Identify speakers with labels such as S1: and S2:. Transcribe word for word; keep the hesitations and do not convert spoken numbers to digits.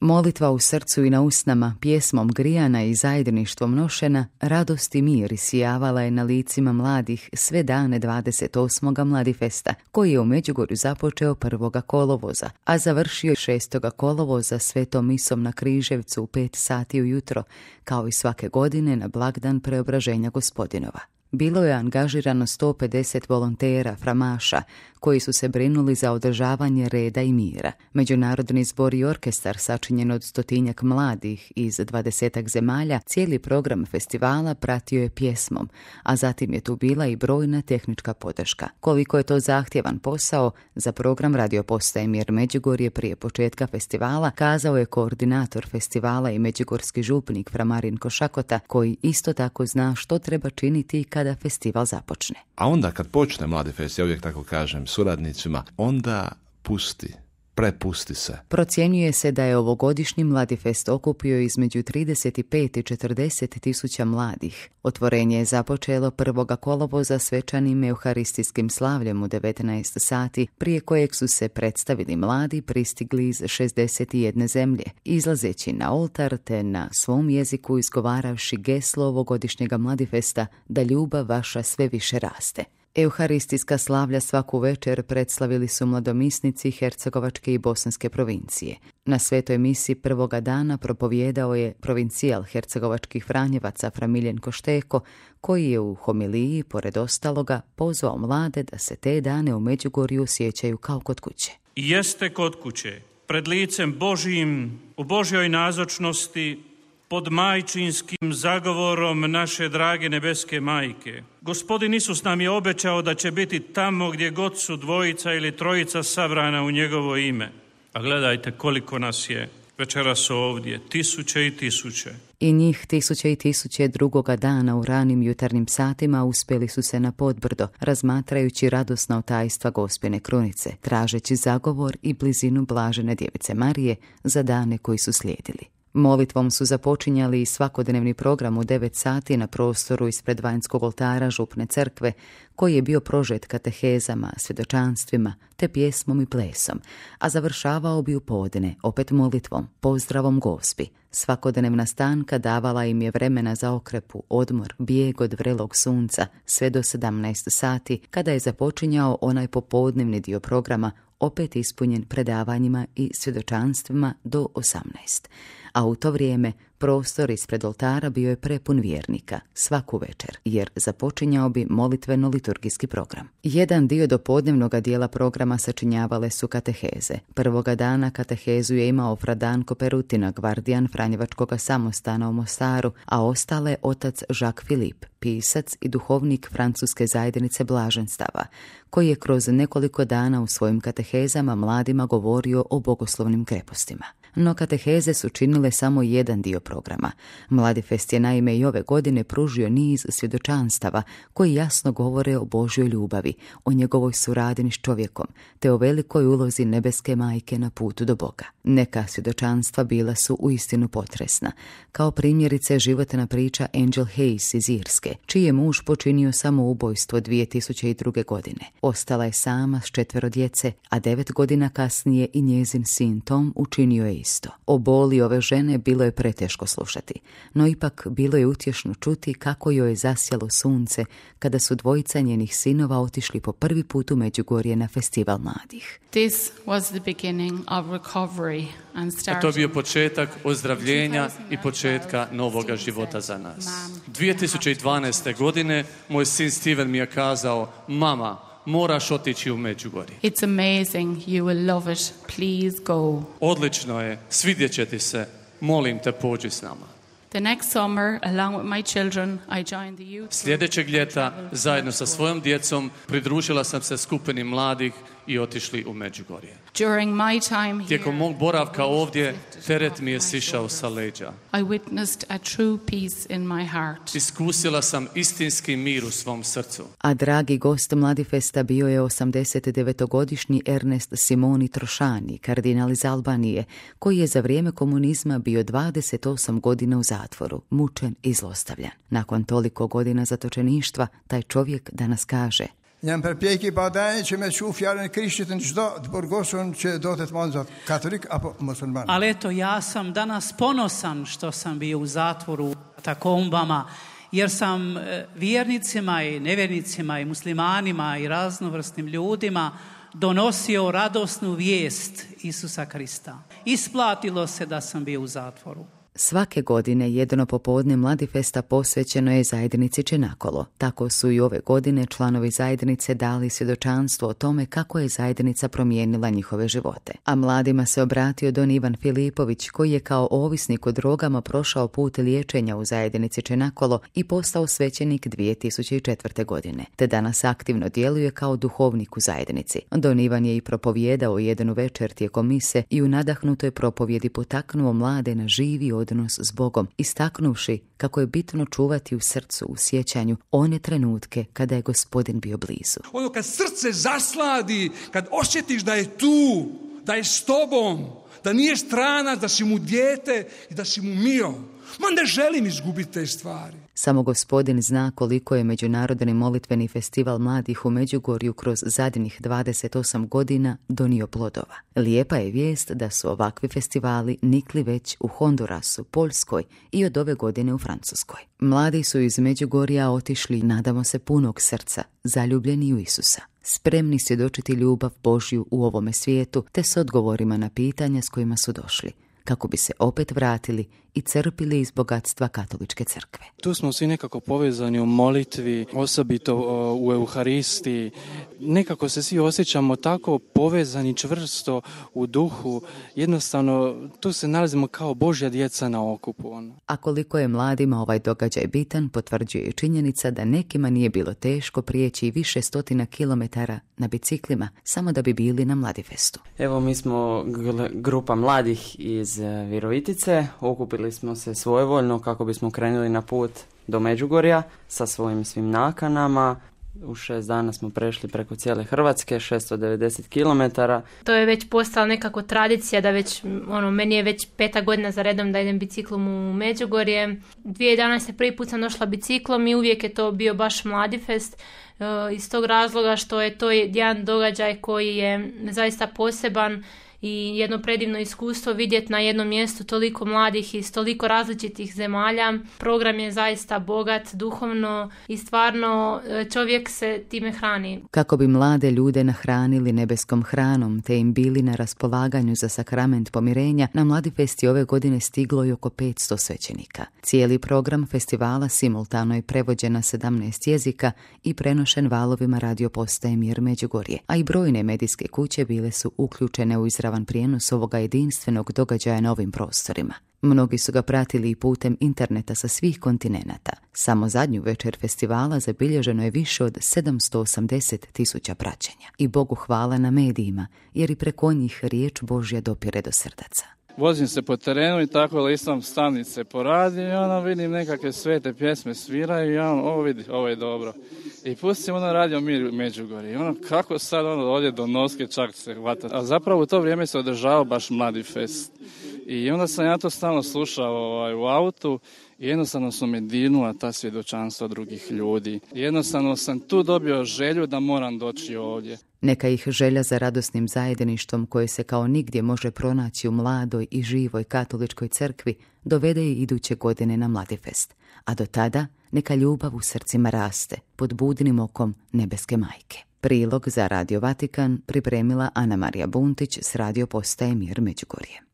S1: Molitva u srcu i na usnama, pjesmom grijana i zajedništvom nošena, radost i mir isijavala je na licima mladih sve dane dvadeset osmog Mladifesta, koji je u Međugorju započeo prvoga kolovoza, a završio šestoga kolovoza svetom misom na Križevcu u pet sati ujutro, kao i svake godine na blagdan Preobraženja Gospodinova. Bilo je angažirano sto pedeset volontera, framaša, koji su se brinuli za održavanje reda i mira. Međunarodni zbor i orkestar, sačinjen od stotinjak mladih iz dvadesetak zemalja, cijeli program festivala pratio je pjesmom, a zatim je tu bila i brojna tehnička podrška. Koliko je to zahtjevan posao, za program radio postaje Mir Međugorje prije početka festivala kazao je koordinator festivala i međugorski župnik fra Marinko Šakota, koji isto tako zna što treba činiti kada festival započne.
S2: A onda kad počne Mladifest, ja uvijek tako kažem suradnicima, onda pusti, prepusti se.
S1: Procjenjuje se da je ovogodišnji Mladifest okupio između trideset pet i četrdeset tisuća mladih. Otvorenje je započelo prvoga kolovoza svečanim euharistijskim slavljem u devetnaest sati, prije kojeg su se predstavili mladi pristigli iz šezdeset jedne zemlje, izlazeći na oltar te na svom jeziku izgovaravši geslo ovogodišnjega Mladifesta da ljubav vaša sve više raste. Euharistijska slavlja svaku večer predslavili su mladomisnici Hercegovačke i Bosanske provincije. Na svetoj misi prvoga dana propovijedao je provincijal hercegovačkih Franjevaca fra Miljenko Šteko, koji je u homiliji, pored ostaloga, pozvao mlade da se te dane u Međugorju osjećaju kao kod kuće.
S3: I jeste kod kuće, pred licem Božijim, u Božjoj nazočnosti, pod majčinskim zagovorom naše drage nebeske majke. Gospodin Isus nam je obećao da će biti tamo gdje god su dvojica ili trojica sabrana u njegovo ime. A gledajte koliko nas je večeras ovdje, tisuće i tisuće.
S1: I njih tisuće i tisuće drugoga dana u ranim jutarnjim satima uspjeli su se na Podbrdo, razmatrajući radosna tajstva Gospine krunice, tražeći zagovor i blizinu blažene djevice Marije za dane koji su slijedili. Molitvom su započinjali i svakodnevni program u devet sati na prostoru ispred vanjskog oltara župne crkve, koji je bio prožet katehezama, svjedočanstvima te pjesmom i plesom, a završavao bi u podne, opet molitvom, pozdravom Gospi. Svakodnevna stanka davala im je vremena za okrepu, odmor, bijeg od vrelog sunca, sve do sedamnaest sati, kada je započinjao onaj popodnevni dio programa, opet ispunjen predavanjima i svjedočanstvima do osamnaest. A u to vrijeme prostor ispred oltara bio je prepun vjernika, svaku večer, jer započinjao bi molitveno-liturgijski program. Jedan dio dopodnevnog dijela programa sačinjavale su kateheze. Prvoga dana katehezu je imao fra Danko Perutina, gvardijan Franjevačkoga samostana u Mostaru, a ostale otac Jacques Philippe, pisac i duhovnik francuske zajednice blaženstava, koji je kroz nekoliko dana u svojim katehezama mladima govorio o bogoslovnim krepostima. No kateheze su činile samo jedan dio programa. Mladifest je naime i ove godine pružio niz svjedočanstava koji jasno govore o Božjoj ljubavi, o njegovoj suradnji s čovjekom, te o velikoj ulozi nebeske majke na putu do Boga. Neka svjedočanstva bila su uistinu potresna, kao primjerice životna priča Angel Hayes iz Irske, čiji je muž počinio samoubojstvo dvije tisuće druge. godine. Ostala je sama s četvero djece, a devet godina kasnije i njezin sin Tom učinio je isto. O boli ove žene bilo je preteško slušati, no ipak bilo je utješno čuti kako joj je zasjalo sunce kada su dvojica njenih sinova otišli po prvi put u Međugorje na festival mladih.
S4: This was the beginning of recovery and starting.
S5: To je bio početak ozdravljenja i početka novoga života za nas. dvije tisuće dvanaeste. godine moj sin Steven mi je kazao: mama, moraš otići u Međugorje.
S4: It's amazing, you will love it, please go.
S5: Odlično je, svidjet će ti se, molim te pođi s nama.
S4: The next summer, along with my children, I joined the youth.
S5: Sljedećeg ljeta, zajedno sa svojom djecom, pridružila sam se skupini mladih i otišli u Međugorje.
S4: During my time here,
S5: tijekom mog boravka ovdje, teret mi je sišao sa leđa.
S4: I witnessed a true peace in my heart.
S5: Iskusila sam istinski mir u svom srcu.
S1: A dragi gost Mladifesta bio je osamdesetdevetogodišnji Ernest Simoni Trošani, kardinal iz Albanije, koji je za vrijeme komunizma bio dvadeset osam godina u zatvoru, mučen i zlostavljan. Nakon toliko godina zatočeništva, taj čovjek danas kaže:
S6: Jam përpjekje badaj që me çu fjalën e Krishtit në çdo të burgosun që do të të mund katolik apo musliman.
S7: Ali eto, ja sam danas ponosan što sam bio u zatvoru, u katakombama, jer sam vjernicima i nevjernicima i muslimanima i raznovrsnim ljudima donosio radosnu vijest Isusa Krista. Isplatilo se da sam bio u zatvoru.
S1: Svake godine jedno popodne Mladifesta posvećeno je zajednici Čenakolo. Tako su i ove godine članovi zajednice dali svjedočanstvo o tome kako je zajednica promijenila njihove živote. A mladima se obratio don Ivan Filipović, koji je kao ovisnik o drogama prošao put liječenja u zajednici Čenakolo i postao svećenik dvije tisuće četvrte. godine, te danas aktivno djeluje kao duhovnik u zajednici. Don Ivan je i propovijedao jednu večer tijekom mise i u nadahnutoj propovjedi potaknuo mlade na živi odnos s Bogom, istaknuvši kako je bitno čuvati u srcu, u sjećanju one trenutke kada je Gospodin bio blizu.
S8: Ono kad srce zasladi, kad osjetiš da je tu, da je s tobom, da nije stranac, da si mu dijete i da si mu mio. Ma ne želim izgubiti te stvari.
S1: Samo Gospodin zna koliko je Međunarodni molitveni festival mladih u Međugorju kroz zadnjih dvadeset osam godina donio plodova. Lijepa je vijest da su ovakvi festivali nikli već u Hondurasu, Poljskoj i od ove godine u Francuskoj. Mladi su iz Međugorja otišli, nadamo se, punog srca, zaljubljeni u Isusa. Spremni svjedočiti ljubav Božju u ovome svijetu, te s odgovorima na pitanja s kojima su došli, kako bi se opet vratili i crpili iz bogatstva katoličke crkve.
S9: Tu smo svi nekako povezani u molitvi, osobito u Euharistiji. Nekako se svi osjećamo tako povezani čvrsto u duhu. Jednostavno, tu se nalazimo kao Božja djeca na okupu.
S1: A koliko je mladima ovaj događaj bitan, potvrđuje i činjenica da nekima nije bilo teško prijeći više stotina kilometara na biciklima, samo da bi bili na Mladifestu.
S10: Evo, mi smo grupa mladih iz Virovitice, okupili smo se svojevoljno kako bismo krenuli na put do Međugorja sa svojim svim nakanama. U šest dana smo prešli preko cijele Hrvatske, šesto devedeset kilometara.
S11: To je već postala nekako tradicija da već, ono, meni je već peta godina za redom da idem biciklom u Međugorje. dvije tisuće jedanaeste prvi put sam došla biciklom i uvijek je to bio baš Mladifest. E, iz tog razloga što je to jedan događaj koji je zaista poseban i jedno predivno iskustvo vidjeti na jednom mjestu toliko mladih iz toliko različitih zemalja. Program je zaista bogat, duhovno i stvarno čovjek se time hrani.
S1: Kako bi mlade ljude nahranili nebeskom hranom te im bili na raspolaganju za sakrament pomirenja, na Mladifest ove godine stiglo i oko petsto svećenika. Cijeli program festivala simultano je prevođen na sedamnaest jezika i prenošen valovima radio postaje Mir Međugorje, a i brojne medijske kuće bile su uključene u izravan prijenos ovoga jedinstvenog događaja na ovim prostorima. Mnogi su ga pratili i putem interneta sa svih kontinenata. Samo zadnju večer festivala zabilježeno je više od sedamsto osamdeset tisuća praćenja. I Bogu hvala na medijima, jer i preko njih riječ Božja dopire do srdaca.
S9: Vozim se po terenu i tako listam stanice po radiju i ono vidim nekakve svete pjesme sviraju i ono, ovo vidi, ovo je dobro. I pustim ono radio Mir Međugorje. I ono, kako sad ono ovdje do noske čak se hvata. A zapravo u to vrijeme se održavao baš Mladifest. I onda sam ja to stalno slušao ovaj, u autu i jednostavno su me dirnula ta svjedočanstva drugih ljudi. I jednostavno sam tu dobio želju da moram doći ovdje.
S1: Neka ih želja za radosnim zajedništvom koje se kao nigdje može pronaći u mladoj i živoj katoličkoj crkvi dovede i iduće godine na Mladifest. A do tada neka ljubav u srcima raste pod budnim okom nebeske majke. Prilog za Radio Vatikan pripremila Ana Marija Buntić s radio postaje Mir Međugorje.